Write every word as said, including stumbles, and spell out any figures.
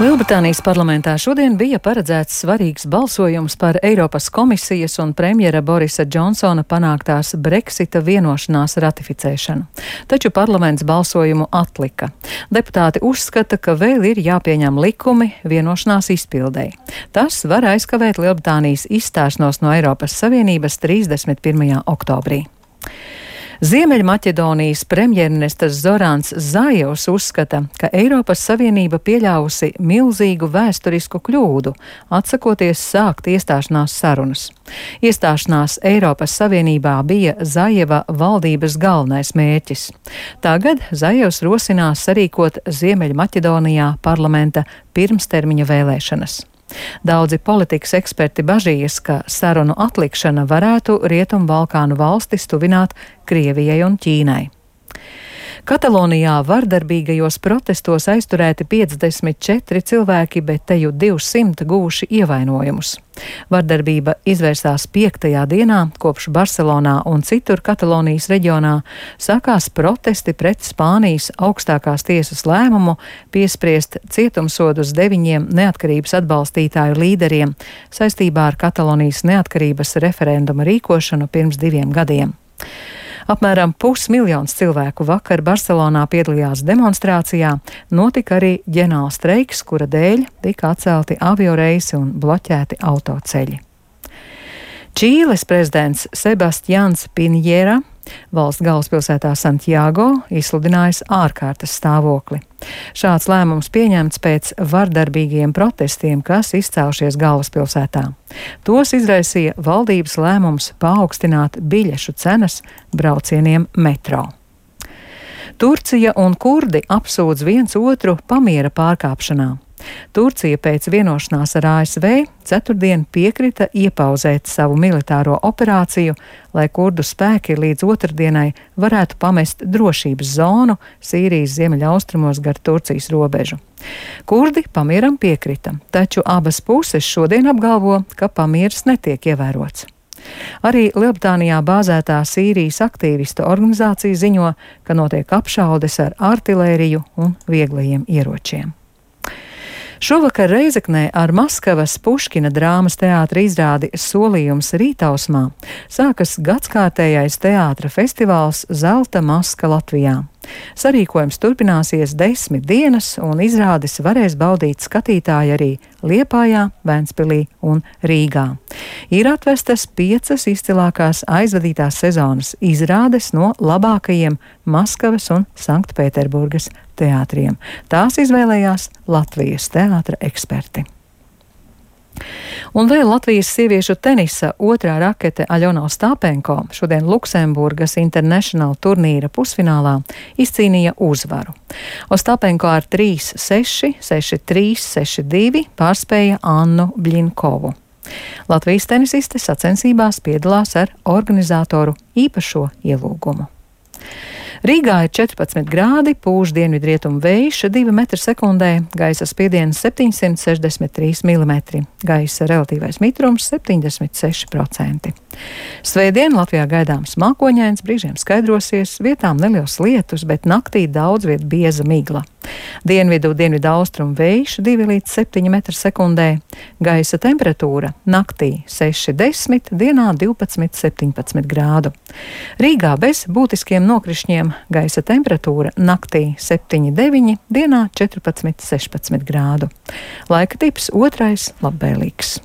Lielbritānijas parlamentā šodien bija paredzēts svarīgs balsojums par Eiropas komisijas un premjera Borisa Džonsona panāktās Brexita vienošanās ratificēšanu. Taču parlaments balsojumu atlika. Deputāti uzskata, ka vēl ir jāpieņem likumi vienošanās izpildei. Tas var aizkavēt Lielbritānijas izstāšanos no Eiropas Savienības trīsdesmit pirmajā oktobrī. Ziemeļmaķedonijas premjerministrs Zorans Zājevs uzskata, ka Eiropas Savienība pieļāvusi milzīgu vēsturisku kļūdu, atsakoties sākt iestāšanās sarunas. Iestāšanās Eiropas Savienībā bija Zājeva valdības galvenais mērķis. Tagad Zājevs rosinās sarīkot Ziemeļmaķedonijā parlamenta pirmstermiņa vēlēšanas. Daudzi politikas eksperti bažījas, ka sarunu atlikšana varētu Rietumbalkānu valstis tuvināt Krievijai un Ķīnai. Katalonijā vardarbīgajos protestos aizturēti piecdesmit četri cilvēki, bet teju divsimt guvuši ievainojumus. Vardarbība izvērsās piektajā dienā, kopš Barcelonā un citur Katalonijas reģionā sākās protesti pret Spānijas augstākās tiesas lēmumu piespriest cietumsodus deviņiem neatkarības atbalstītāju līderiem saistībā ar Katalonijas neatkarības referenduma rīkošanu pirms diviem gadiem. Apmēram pusmiljons cilvēku vakar Barcelonā piedalījās demonstrācijā, notika arī ģenerālstreiks, kura dēļ tika atcelti avioreisi un bloķēti autoceļi. Čīles prezidents Sebastians Piņera valsts galvaspilsētā Santiago izsludinājis ārkārtas stāvokli. Šāds lēmums pieņemts pēc vardarbīgiem protestiem, kas izcēlušies galvaspilsētā. Tos izraisīja valdības lēmums paaugstināt biļešu cenas braucieniem metro. Turcija un kurdi apsūdz viens otru pamiera pārkāpšanā. Turcija pēc vienošanās ar A S V ceturtdien piekrita iepauzēt savu militāro operāciju, lai kurdu spēki līdz otrdienai varētu pamest drošības zonu Sīrijas ziemeļaustrumos gar Turcijas robežu. Kurdi pamieram piekrita, taču abas puses šodien apgalvo, ka pamieris netiek ievērots. Arī Lielbritānijā bāzētā Sīrijas aktīvistu organizācija ziņo, ka notiek apšaudes ar artilēriju un vieglajiem ieročiem. Šovakar Reizeknē ar Maskavas Puškina drāmas teātra izrādi Solījums rītausmā sākas gadskārtējais teātra festivāls Zelta maska Latvijā. Sarīkojums turpināsies desmit dienas, un izrādes varēs baudīt skatītāji arī Liepājā, Ventspilī un Rīgā. Ir atvestas piecas izcilākās aizvadītās sezonas izrādes no labākajiem Maskavas un Sanktpēterburgas teātriem. Tās izvēlējās Latvijas teātra eksperti. Un vēl Latvijas sieviešu tenisa otrā rakete Aļona Ostāpenko šodien Luksemburgas International turnīra pusfinālā izcīnīja uzvaru. Ostāpenko ar trīs seši, seši trīs, seši divi pārspēja Annu Bļinkovu. Latvijas tenisiste sacensībās piedalās ar organizatoru īpašo ielūgumu. Rīgā ir četrpadsmit grādi, pūš dienvidrietumu vējš divi metri sekundē, gaisa spiediens septiņsimt sešdesmit trīs milimetri, gaisa relatīvais mitrums septiņdesmit seši procenti. Svētdien Latvijā gaidāms mākoņains, brīžiem skaidrosies, vietām neliels lietus, bet naktī daudz viet bieza migla. Dienvidu, dienvidu austrumu vējš divi līdz septiņi metri sekundē, gaisa temperatūra naktī seši desmit, dienā divpadsmit septiņpadsmit grādu. Rīgā bez būtiskiem nokrišņiem gaisa temperatūra naktī septiņi deviņi, dienā četrpadsmit sešpadsmit grādu. Laika tips otrais labvēlīgs.